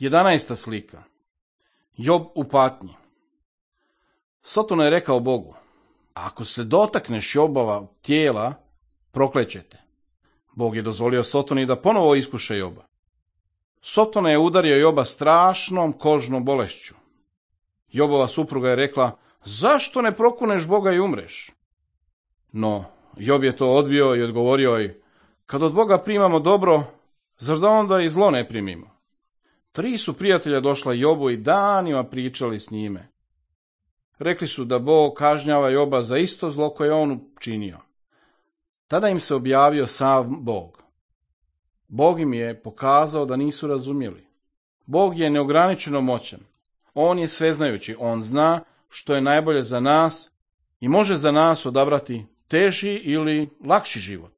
11. slika. Job u patnji. Sotona je rekao Bogu: ako se dotakneš Jobova tijela, proklećete. Bog je dozvolio Sotoni da ponovo iskuša Joba. Sotona je udario Joba strašnom kožnom bolešću. Jobova supruga je rekla: zašto ne prokuneš Boga i umreš? No, Job je to odbio i odgovorio joj: kad od Boga primamo dobro, zar da onda i zlo ne primimo? 3 su prijatelja došla Jobu i danima pričali s njime. Rekli su da Bog kažnjava Joba za isto zlo koje on učinio. Tada im se objavio sam Bog. Bog im je pokazao da nisu razumjeli. Bog je neograničeno moćan. On je sveznajući, on zna što je najbolje za nas i može za nas odabrati teži ili lakši život.